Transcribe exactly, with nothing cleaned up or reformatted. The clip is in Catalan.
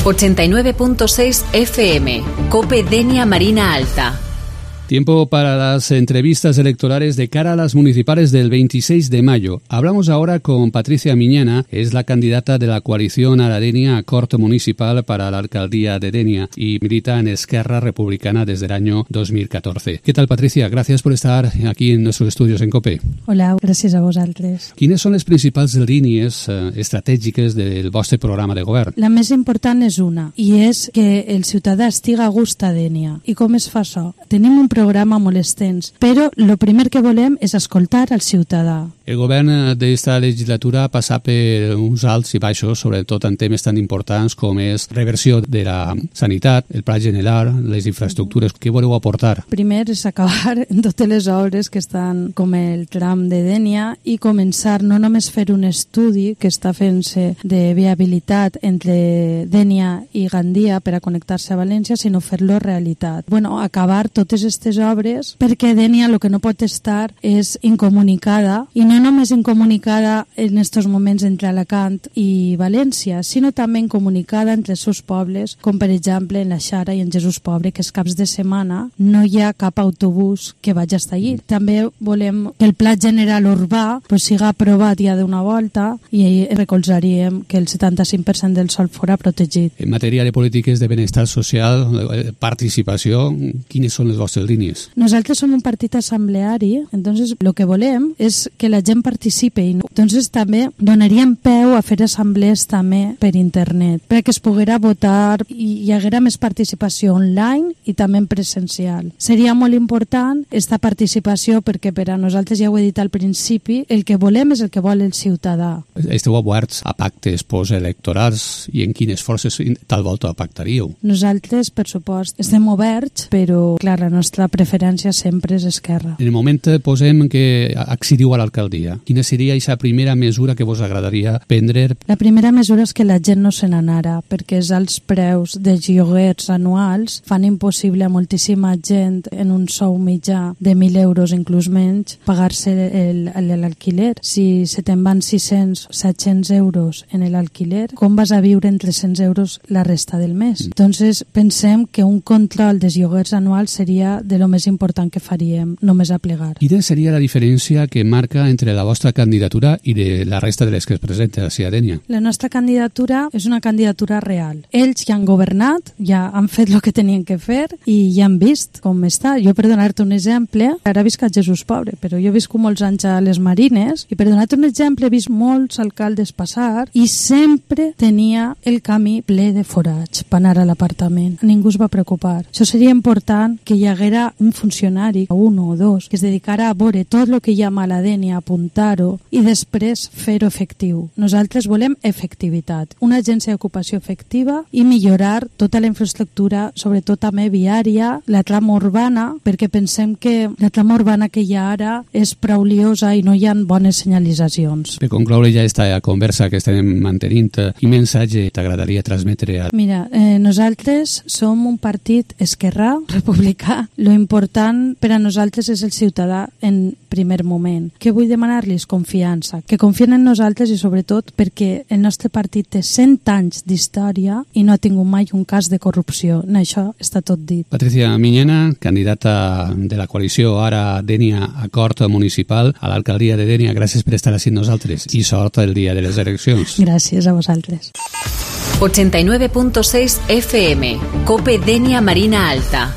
ochenta y nueve punto seis F M, COPE Denia Marina Alta. Tiempo para las entrevistas electorales de cara a las municipales del veintiséis de mayo. Hablamos ahora con Patricia Miñana, es la candidata de la coalición Ara Denia Acord Municipal para la alcaldía de Denia y milita en Esquerra Republicana desde el año dos mil catorze. ¿Qué tal, Patricia? Gracias por estar aquí en nuestros estudios en COPE. Hola, gràcies a vosaltres. Quines són les principals línies eh, estratègiques del vostre programa de govern? La més important és una, i és que el ciutadà estiga a gust a Denia. I com es fa això? Tenim un programa molt extens, però el primer que volem és escoltar al ciutadà. El govern d'esta legislatura ha passat per uns alts i baixos, sobretot en temes tan importants com és reversió de la sanitat, el pla general, les infraestructures. Què voleu aportar? Primer és acabar en totes les obres que estan com el tram de Denia i començar no només fer un estudi que està fent-se de viabilitat entre Denia i Gandia per a connectar-se a València, sinó fer-lo realitat. Bueno, acabar totes aquestes obres perquè Denia el que no pot estar és incomunicada, i no només incomunicada en estos moments entre Alacant i València, sinó també incomunicada entre els seus pobles, com per exemple en la Xara i en Jesús Pobre, que els caps de setmana no hi ha cap autobús que vagi a estar allí. També volem que el pla general urbà pues, siga aprovat ja d'una volta i recolzaríem que el setanta-cinc per cent del sòl fora protegit. En matèria de polítiques de benestar social, participació, quines són les vostres línies? Nosaltres som un partit assembleari, entonces lo que volem és que la gent participi. Entonces també donaríem peu a fer assemblees també per internet, perquè es poguera votar i hi haguera més participació online i també en presencial. Seria molt important esta participació perquè per a nosaltres, ja ho he dit al principi, el que volem és el que vol el ciutadà. Esteu oberts a pactes postelectorals i en quines forces tal volta pactaríeu? Nosaltres, per supost, estem oberts, però clar, la nostra preferència sempre és Esquerra. En el moment posem que accediu a l'alcaldia. Quina seria aquesta primera mesura que vos agradaria prendre? La primera mesura és que la gent no se n'anara, perquè els alts preus dels lloguers anuals fan impossible a moltíssima gent en un sou mitjà de mil euros, inclús menys, pagar-se l'alquiler. Si se te'n van sis-cents, set-cents euros en l'alquiler, com vas a viure en tres-cents euros la resta del mes? Mm. Entonces, pensem que un control dels lloguers anuals seria de lo més important que faríem, només a plegar. Quina seria la diferència que marca entre la vostra candidatura i de la resta de les que es presenten a Denia? La nostra candidatura és una candidatura real. Ells ja han governat, ja han fet el que tenien que fer i ja han vist com està. Jo, per donar-te un exemple, ara visc a Jesús Pobre, però jo visc molts anys a les Marines i per donar-te un exemple he vist molts alcaldes passar i sempre tenia el camí ple de forats per anar a l'apartament. Ningú es va preocupar. Això seria important que hi haguera un funcionari, un o dos, que es dedicara a veure tot el que hi ha a Denia, apuntar-ho i després fer-ho efectiu. Nosaltres volem efectivitat, una agència d'ocupació efectiva i millorar tota la infraestructura, sobretot també viària, la trama urbana, perquè pensem que la trama urbana que hi ha ara és prou liosa i no hi ha bones senyalitzacions. Per concloure ja aquesta conversa que estem mantenint, quin missatge t'agradaria transmetre? A... Mira, eh, nosaltres som un partit esquerrà, republicà. Lo important per a nosaltres és el ciutadà en primer moment. Què vull demanar-los? Confiança. Que confien en nosaltres i sobretot perquè el nostre partit té cent anys d'història i no ha tingut mai un cas de corrupció. En això està tot dit. Patricia Miñana, candidata de la coalició Ara Denia Acord Municipal a l'alcaldia de Denia, gràcies per estar així amb nosaltres i sort el dia de les eleccions. Gràcies a vosaltres. ochenta y nueve punto seis F M, COPE Denia Marina Alta.